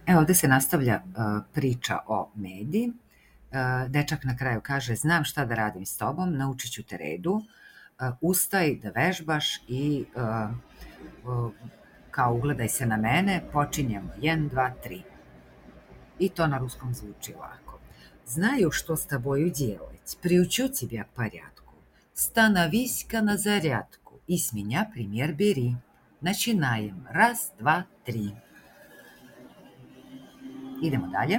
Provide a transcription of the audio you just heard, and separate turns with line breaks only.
Evo, ovde se nastavlja priča o Medi. Dečak na kraju kaže, znam šta da radim s tobom, naučit ću te redu, ustaj da vežbaš i kao ugledaj se na mene, počinjemo 1, 2, 3. И то на русском звучи лако. Знаю, что с тобою делать, приучу тебя к порядку. Становись-ка на зарядку и с меня пример бери. Начинаем. 1, 2, 3. Idemo dalje.